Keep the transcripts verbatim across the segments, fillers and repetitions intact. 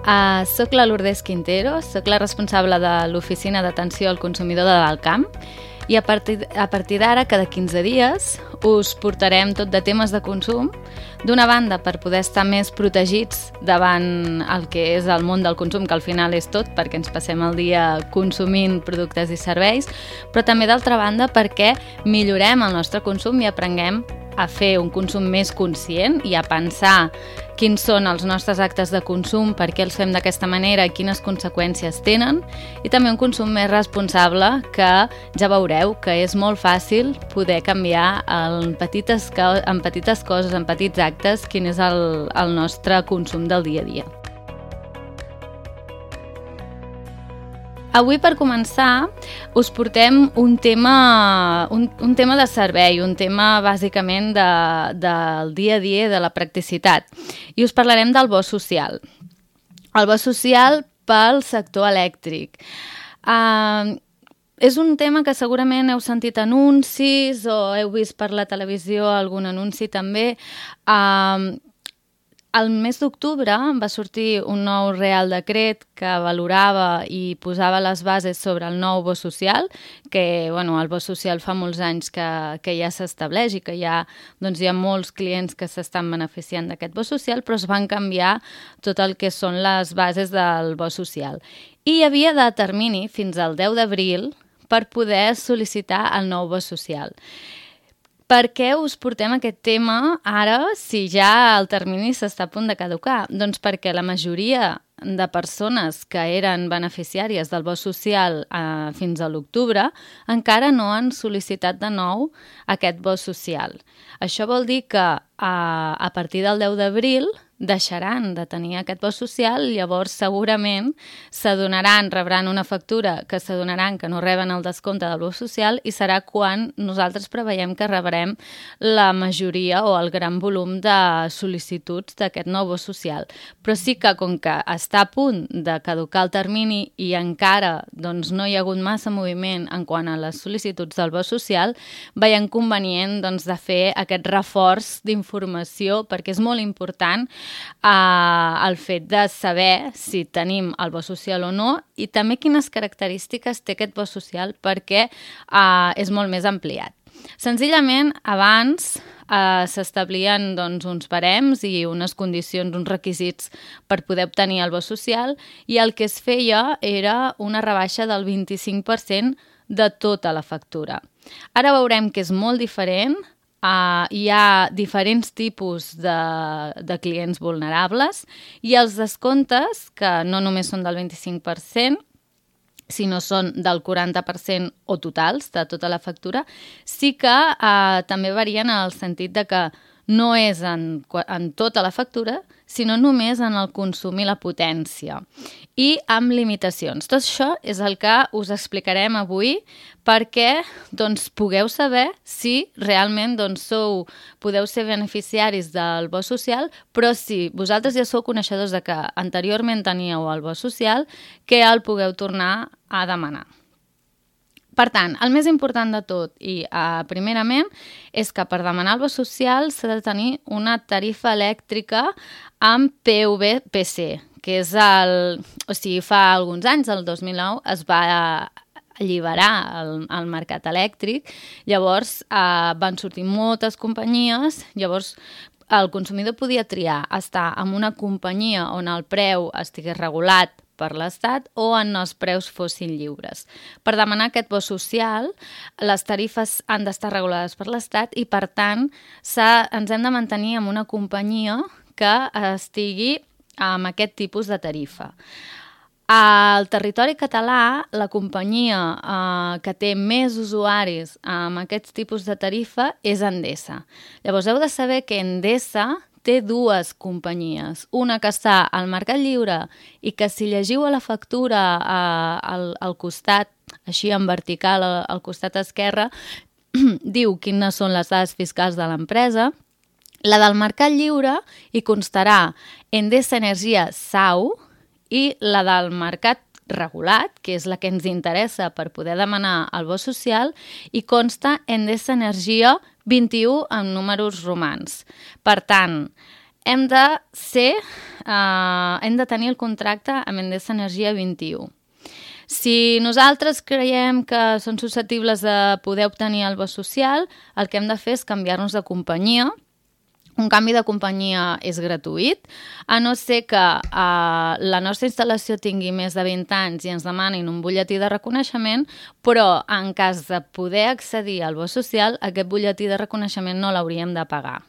Uh, soc la Lourdes Quintero, soc la responsable de l'Oficina d'Atenció al Consumidor de l'Alt Camp i a partir, a partir d'ara, cada quinze dies, us portarem tot de temes de consum, d'una banda per poder estar més protegits davant el que és el món del consum, que al final és tot, perquè ens passem el dia consumint productes i serveis, però també d'altra banda perquè millorem el nostre consum i aprenguem a fer un consum més conscient i a pensar quins són els nostres actes de consum, per què els fem d'aquesta manera i quines conseqüències tenen, i també un consum més responsable que ja veureu que és molt fàcil poder canviar en petites, en petites coses, en petits actes, quin és el, el nostre consum del dia a dia. Avui, per començar, us portem un tema, un, un tema de servei, un tema bàsicament de, del dia a dia, de la practicitat. I us parlarem del bo social. El bo social pel sector elèctric. Uh, és un tema que segurament heu sentit anuncis o heu vist per la televisió algun anunci també. Uh, El mes d'octubre va sortir un nou Real Decret que valorava i posava les bases sobre el nou bo social, que bueno, el bo social fa molts anys que, que ja s'estableix i que ja, doncs, hi ha molts clients que s'estan beneficiant d'aquest bo social, però es van canviar tot el que són les bases del bo social. I hi havia de termini fins al deu d'abril per poder sol·licitar el nou bo social. Per què us portem aquest tema ara, si ja el termini s'està a punt de caducar? Doncs perquè la majoria de persones que eren beneficiàries del bo social eh, fins a l'octubre encara no han sol·licitat de nou aquest bo social. Això vol dir que eh, a partir del deu d'abril deixaran de tenir aquest bo social, llavors segurament s'adonaran, rebran una factura que s'adonaran que no reben el descompte del bo social i serà quan nosaltres preveiem que rebrem la majoria o el gran volum de sol·licituds d'aquest nou bo social. Però sí que com que està a punt de caducar el termini i encara doncs, no hi ha hagut massa moviment en quant a les sol·licituds del bo social, veiem convenient doncs, de fer aquest reforç d'informació perquè és molt important Uh, el fet de saber si tenim el bo social o no i també quines característiques té aquest bo social perquè uh, és molt més ampliat. Senzillament, abans uh, s'establien doncs, uns barems i unes condicions, uns requisits per poder obtenir el bo social i el que es feia era una rebaixa del vint-i-cinc per cent de tota la factura. Ara veurem que és molt diferent. Uh, hi ha diferents tipus de, de clients vulnerables i els descomptes, que no només són del vint-i-cinc per cent, sinó són del quaranta per cent o totals de tota la factura, sí que uh, també varien en el sentit de que no és en, en tota la factura, sinó només en el consum i la potència, i amb limitacions. Tot això és el que us explicarem avui perquè doncs, pugueu saber si realment doncs, sou, podeu ser beneficiaris del bo social, però si vosaltres ja sou coneixedors de que anteriorment teníeu el bo social, que el pugueu tornar a demanar. Per tant, el més important de tot i uh, primerament és que per demanar el bo social s'ha de tenir una tarifa elèctrica amb P V P C, que és el... O sigui, fa alguns anys, el dos mil nou, es va alliberar el, el mercat elèctric, llavors uh, van sortir moltes companyies, llavors el consumidor podia triar estar en una companyia on el preu estigués regulat per l'Estat o en els preus fossin lliures. Per demanar aquest bo social, les tarifes han d'estar regulades per l'Estat i, per tant, ens hem de mantenir en una companyia que estigui amb aquest tipus de tarifa. Al territori català, la companyia eh, que té més usuaris amb aquests tipus de tarifa és Endesa. Llavors, heu de saber que Endesa té dues companyies, una que està al Mercat Lliure i que si llegiu a la factura eh, al, al costat, així en vertical, al, al costat esquerre, diu quines són les dades fiscals de l'empresa. La del Mercat Lliure hi constarà Endesa Energia S A U i la del Mercat Regulat, que és la que ens interessa per poder demanar el bo social, i consta Endesa Energia vint i u amb números romans. Per tant, hem de ser, uh, hem de tenir el contracte amb Endesa Energia vint-i-u. Si nosaltres creiem que són susceptibles de poder obtenir el bo social, el que hem de fer és canviar-nos de companyia. Un canvi de companyia és gratuït, a no ser que uh, la nostra instal·lació tingui més de vint anys i ens demanin un butlletí de reconeixement, però en cas de poder accedir al bo social, aquest butlletí de reconeixement no l'hauríem de pagar.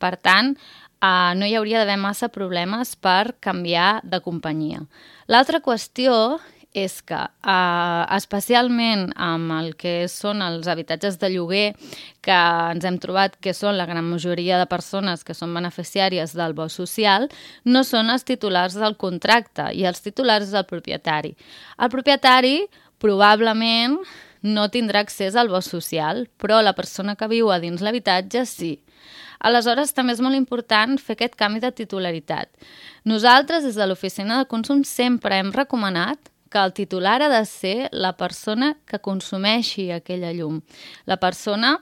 Per tant, uh, no hi hauria d'haver massa problemes per canviar de companyia. L'altra qüestió és que, eh, especialment amb el que són els habitatges de lloguer, que ens hem trobat que són la gran majoria de persones que són beneficiàries del bo social, no són els titulars del contracte, i els titulars és el propietari. El propietari probablement no tindrà accés al bo social, però la persona que viu a dins l'habitatge sí. Aleshores, també és molt important fer aquest canvi de titularitat. Nosaltres, des de l'Oficina de Consum, sempre hem recomanat que el titular ha de ser la persona que consumeixi aquella llum, la persona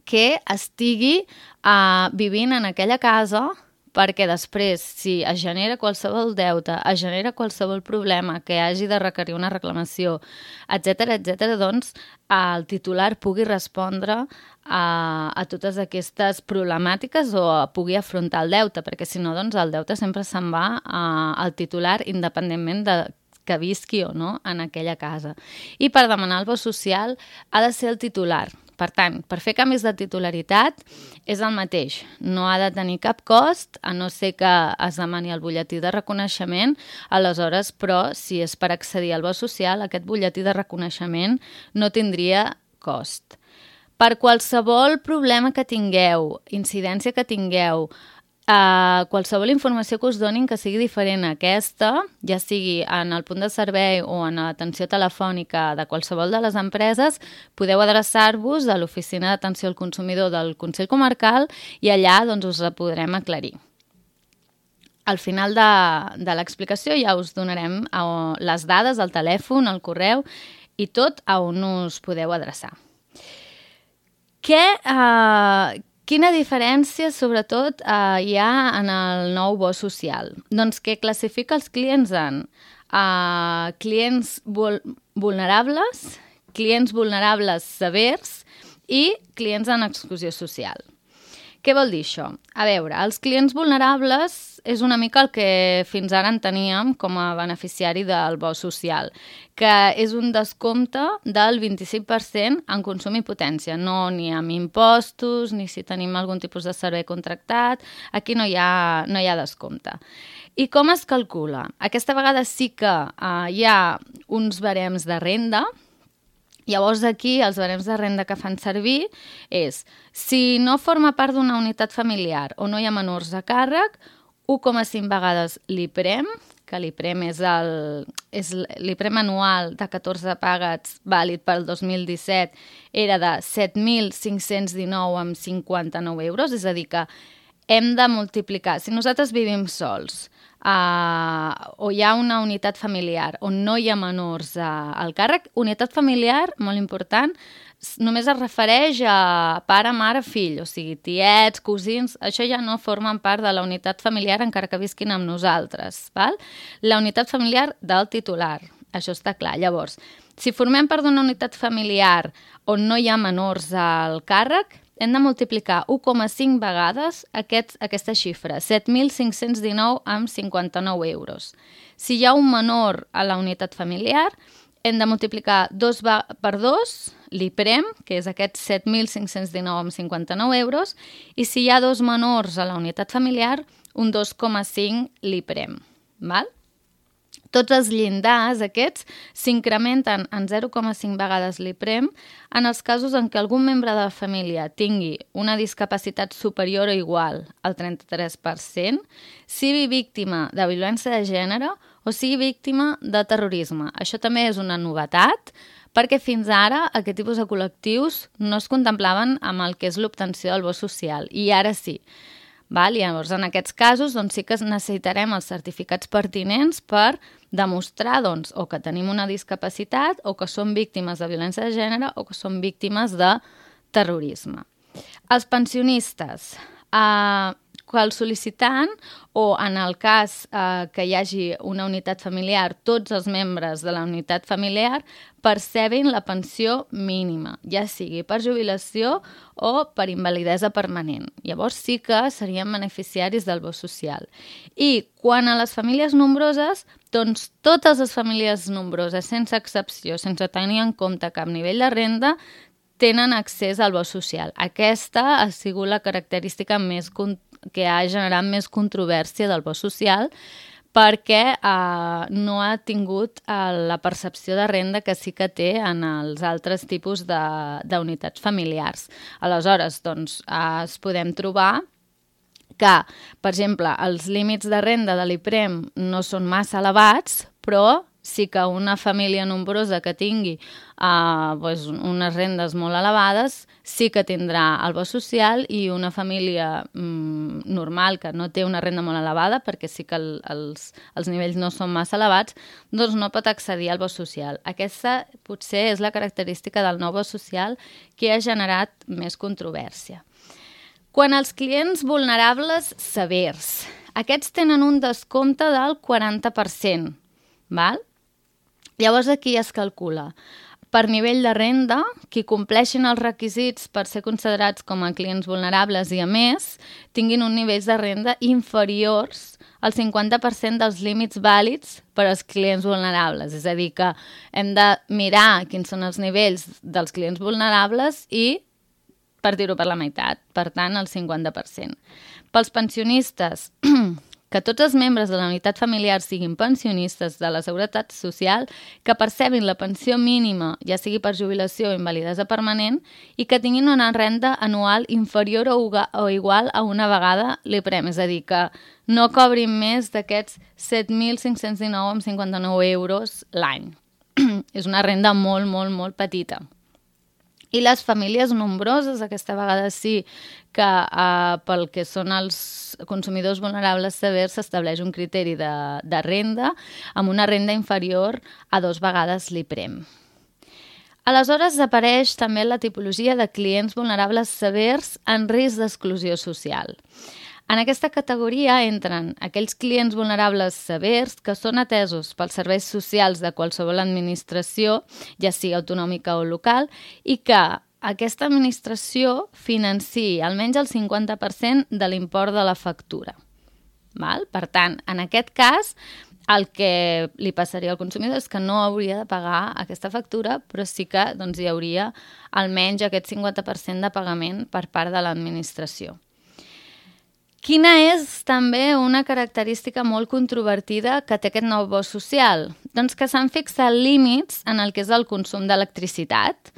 que estigui uh, vivint en aquella casa, perquè després, si es genera qualsevol deute, es genera qualsevol problema que hagi de requerir una reclamació, etcètera, etcètera, doncs el titular pugui respondre a, a totes aquestes problemàtiques o pugui afrontar el deute, perquè si no, doncs el deute sempre se'n va uh, al titular independentment de que visqui o no en aquella casa. I per demanar el bo social ha de ser el titular. Per tant, per fer canvis de titularitat és el mateix. No ha de tenir cap cost, a no ser que es demani el butlletí de reconeixement. Aleshores, però, si és per accedir al bo social, aquest butlletí de reconeixement no tindria cost. Per qualsevol problema que tingueu, incidència que tingueu, Uh, qualsevol informació que us donin que sigui diferent a aquesta, ja sigui en el punt de servei o en l'atenció telefònica de qualsevol de les empreses, podeu adreçar-vos a l'Oficina d'Atenció al Consumidor del Consell Comarcal i allà doncs, us la podrem aclarir. Al final de, de l'explicació ja us donarem uh, les dades, el telèfon, el correu i tot a on us podeu adreçar. Què... Uh, Quina diferència, sobretot, eh, hi ha en el nou bo social? Doncs que classifica els clients en eh, clients vul vulnerables, clients vulnerables severs i clients en exclusió social. Què vol dir això? A veure, els clients vulnerables és una mica el que fins ara en teníem com a beneficiari del bo social, que és un descompte del vint-i-cinc per cent en consum i potència. No n'hi ha amb impostos, ni si tenim algun tipus de servei contractat, aquí no hi ha, no hi ha descompte. I com es calcula? Aquesta vegada sí que eh, hi ha uns barems de renda. Llavors aquí els barems de renda que fan servir és si no forma part d'una unitat familiar o no hi ha menors a càrrec, u coma cinc vegades l'IPREM, que l'IPREM és el és l'IPREM anual de catorze pagues vàlid pel dos mil disset, era de set mil cinc-cents dinou coma cinquanta-nou euros, és a dir que hem de multiplicar. Si nosaltres vivim sols, Uh, o hi ha una unitat familiar on no hi ha menors uh, al càrrec, unitat familiar, molt important, només es refereix a pare, mare, fill, o sigui, tiets, cosins, això ja no formen part de la unitat familiar encara que visquin amb nosaltres, val? La unitat familiar del titular, això està clar. Llavors, si formem part d'una unitat familiar on no hi ha menors al càrrec, hem de multiplicar u coma cinc vegades aquest, aquesta xifra, set mil cinc-cents dinou coma cinquanta-nou euros. Si hi ha un menor a la unitat familiar, hem de multiplicar dos per dos l'IPREM, que és aquests set mil cinc-cents dinou coma cinquanta-nou euros, i si hi ha dos menors a la unitat familiar, un dos coma cinc l'IPREM. Val? Tots els llindars aquests s'incrementen en zero coma cinc vegades l'IPREM en els casos en què algun membre de la família tingui una discapacitat superior o igual al trenta-tres per cent, sigui víctima de violència de gènere o sigui víctima de terrorisme. Això també és una novetat, perquè fins ara aquest tipus de col·lectius no es contemplaven amb el que és l'obtenció del bo social, i ara sí. Val? I llavors, en aquests casos, doncs, sí que necessitarem els certificats pertinents per demostrar doncs, o que tenim una discapacitat, o que som víctimes de violència de gènere, o que som víctimes de terrorisme. Els pensionistes. Eh, que el sol·licitant, o en el cas eh, que hi hagi una unitat familiar, tots els membres de la unitat familiar percebin la pensió mínima, ja sigui per jubilació o per invalidesa permanent. Llavors sí que serien beneficiaris del bo social. I quan a les famílies nombroses, doncs totes les famílies nombroses, sense excepció, sense tenir en compte cap nivell de renda, tenen accés al bo social. Aquesta ha sigut la característica més que ha generat més controvèrsia del bo social, perquè eh, no ha tingut eh, la percepció de renda que sí que té en els altres tipus d'unitats familiars. Aleshores, doncs, eh, es podem trobar que, per exemple, els límits de renda de l'I P R E M no són massa elevats, però sí que una família nombrosa que tingui eh, doncs unes rendes molt elevades sí que tindrà el bo social, i una família mm, normal que no té una renda molt elevada, perquè sí que el, els, els nivells no són massa elevats, doncs no pot accedir al bo social. Aquesta potser és la característica del nou bo social que ha generat més controvèrsia. Quan els clients vulnerables severs, aquests tenen un descompte del quaranta per cent, val? Llavors aquí es calcula per nivell de renda, qui compleixin els requisits per ser considerats com a clients vulnerables i, a més, tinguin un nivell de renda inferiors al cinquanta per cent dels límits vàlids per als clients vulnerables. És a dir, que hem de mirar quins són els nivells dels clients vulnerables i partir-ho per la meitat, per tant, el cinquanta per cent. Pels pensionistes, que tots els membres de la unitat familiar siguin pensionistes de la Seguretat Social, que percebin la pensió mínima, ja sigui per jubilació o invalidesa permanent, i que tinguin una renda anual inferior o igual a una vegada l'I P R E M, és a dir, que no cobrin més d'aquests set mil cinc-cents dinou coma cinquanta-nou euros l'any. És una renda molt, molt, molt petita. I les famílies nombroses, aquesta vegada sí que eh, pel que són els consumidors vulnerables severs s'estableix un criteri de, de renda amb una renda inferior a dos vegades l'I P R E M. Aleshores apareix també la tipologia de clients vulnerables severs en risc d'exclusió social. En aquesta categoria entren aquells clients vulnerables severs que són atesos pels serveis socials de qualsevol administració, ja sigui autonòmica o local, i que aquesta administració financiï almenys el cinquanta per cent de l'import de la factura. Val? Per tant, en aquest cas, el que li passaria al consumidor és que no hauria de pagar aquesta factura, però sí que doncs, hi hauria almenys aquest cinquanta per cent de pagament per part de l'administració. Quina és també una característica molt controvertida que té aquest nou bo social? Doncs que s'han fixat límits en el que és el consum d'electricitat.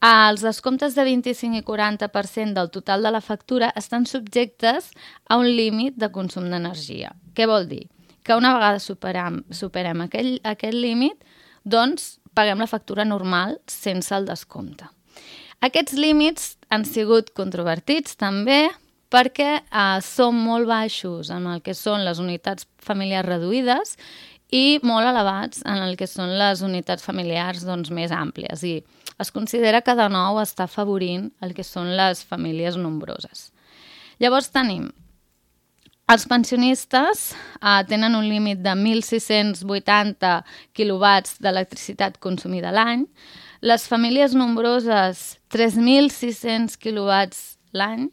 Els descomptes de vint-i-cinc i quaranta per cent del total de la factura estan subjectes a un límit de consum d'energia. Què vol dir? Que una vegada superem, superem aquell, aquest límit, doncs paguem la factura normal sense el descompte. Aquests límits han sigut controvertits també perquè eh, són molt baixos en el que són les unitats familiars reduïdes i molt elevats en el que són les unitats familiars doncs, més àmplies. I es considera que de nou està afavorint el que són les famílies nombroses. Llavors tenim els pensionistes eh, tenen un límit de mil sis-cents vuitanta quilowatts d'electricitat consumida l'any, les famílies nombroses tres mil sis-cents quilowatts l'any,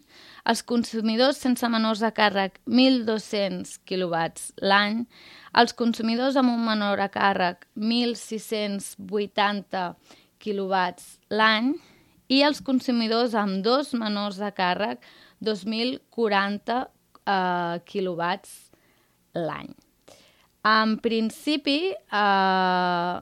els consumidors sense menors a càrrec mil dos-cents quilowatts l'any, els consumidors amb un menor a càrrec mil sis-cents vuitanta quilowatts l'any i els consumidors amb dos menors a càrrec dos mil quaranta uh, quilowatts l'any. En principi, uh,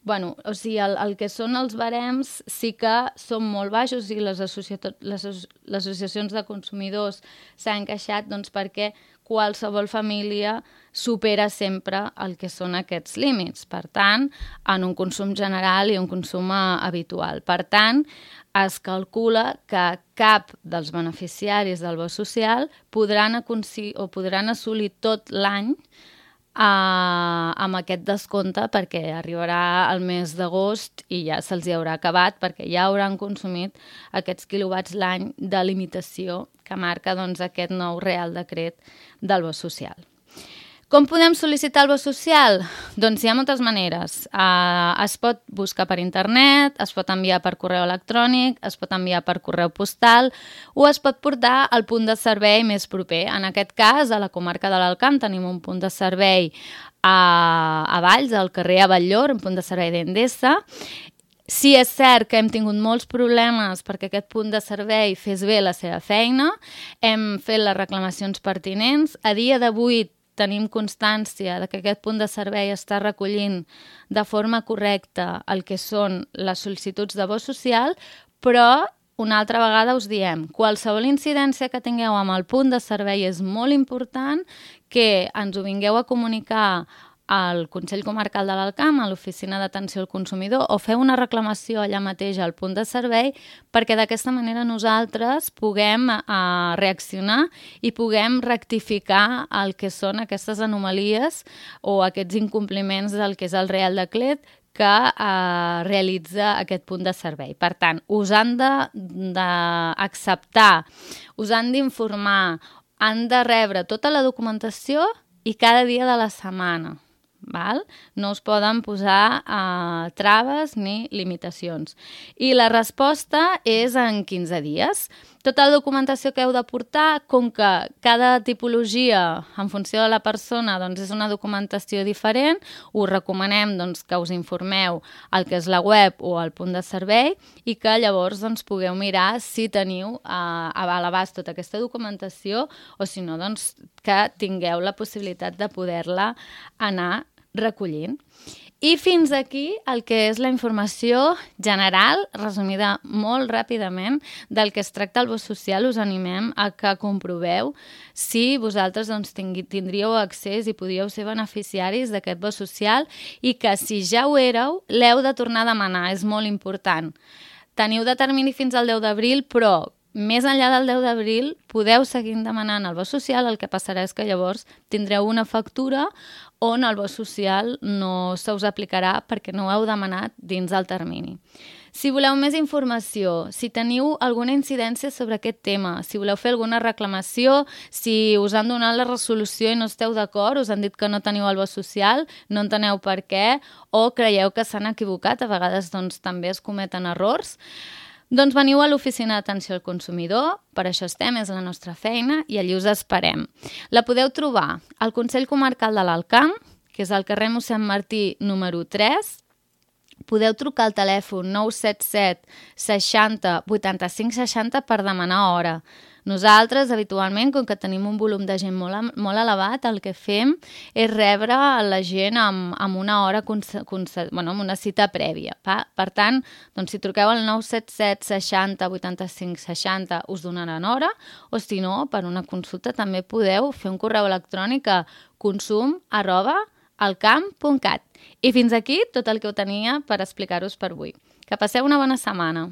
bueno, o sigui, el, el que són els barems sí que són molt baixos i les, associa les, les associacions de consumidors s'han queixat doncs, perquè qualsevol família supera sempre el que són aquests límits. Per tant, en un consum general i un consum habitual. Per tant, es calcula que cap dels beneficiaris del bo social podran, o podran assolir tot l'any Uh, amb aquest descompte perquè arribarà el mes d'agost i ja se'ls hi haurà acabat perquè ja hauran consumit aquests quilowatts l'any de limitació que marca doncs, aquest nou Real Decret del bo social. Com podem sol·licitar el bo social? Doncs hi ha moltes maneres. Uh, es pot buscar per internet, es pot enviar per correu electrònic, es pot enviar per correu postal o es pot portar al punt de servei més proper. En aquest cas, a la comarca de l'Alt Camp tenim un punt de servei a, a Valls, al carrer Avallor, un punt de servei d'Endesa. Sí, és cert que hem tingut molts problemes perquè aquest punt de servei fes bé la seva feina, hem fet les reclamacions pertinents. A dia d'avui tenim constància de que aquest punt de servei està recollint de forma correcta el que són les sol·licituds de bo social, però una altra vegada us diem, qualsevol incidència que tingueu amb el punt de servei és molt important que ens ho vingueu a comunicar al Consell Comarcal de l'Alt Camp, a l'Oficina d'Atenció al Consumidor, o feu una reclamació allà mateix al punt de servei perquè d'aquesta manera nosaltres puguem eh, reaccionar i puguem rectificar el que són aquestes anomalies o aquests incompliments del que és el Real Decret que eh, realitza aquest punt de servei. Per tant, us han d'acceptar, us han d'informar, han de rebre tota la documentació i cada dia de la setmana. Val? No us poden posar uh, traves ni limitacions. I la resposta és en quinze dies. Tota la documentació que heu de portar, com que cada tipologia, en funció de la persona, doncs és una documentació diferent, us recomanem doncs, que us informeu al que és la web o al punt de servei i que llavors doncs, pugueu mirar si teniu uh, a l'abast tota aquesta documentació o si no, doncs, que tingueu la possibilitat de poder-la anar recollint. I fins aquí el que és la informació general, resumida molt ràpidament, del que es tracta el bo social. Us animem a que comproveu si vosaltres doncs, tindríeu accés i podríeu ser beneficiaris d'aquest bo social i que si ja ho éreu, l'heu de tornar a demanar, és molt important. Teniu de termini fins al deu d'abril, però més enllà del deu d'abril podeu seguir demanant el bo social, el que passarà és que llavors tindreu una factura on el bo social no se us aplicarà perquè no ho heu demanat dins del termini. Si voleu més informació, si teniu alguna incidència sobre aquest tema, si voleu fer alguna reclamació, si us han donat la resolució i no esteu d'acord, us han dit que no teniu el bo social, no enteneu per què, o creieu que s'han equivocat, a vegades doncs, també es cometen errors, doncs veniu a l'Oficina d'Atenció al Consumidor, per això estem, és la nostra feina, i allí us esperem. La podeu trobar al Consell Comarcal de l'Alt Camp, que és al carrer Mossèn Martí número tres. Podeu trucar al telèfon nou set set seixanta vuitanta-cinc seixanta per demanar hora. Nosaltres, habitualment, com que tenim un volum de gent molt, molt elevat, el que fem és rebre la gent amb, amb una hora, bueno, amb una cita prèvia. Pa? Per tant, doncs, si truqueu al nou set set seixanta vuitanta-cinc seixanta us donaran hora, o si no, per una consulta també podeu fer un correu electrònic a consum arroba alcamp punt cat. I fins aquí tot el que ho tenia per explicar-vos per avui. Que passeu una bona setmana.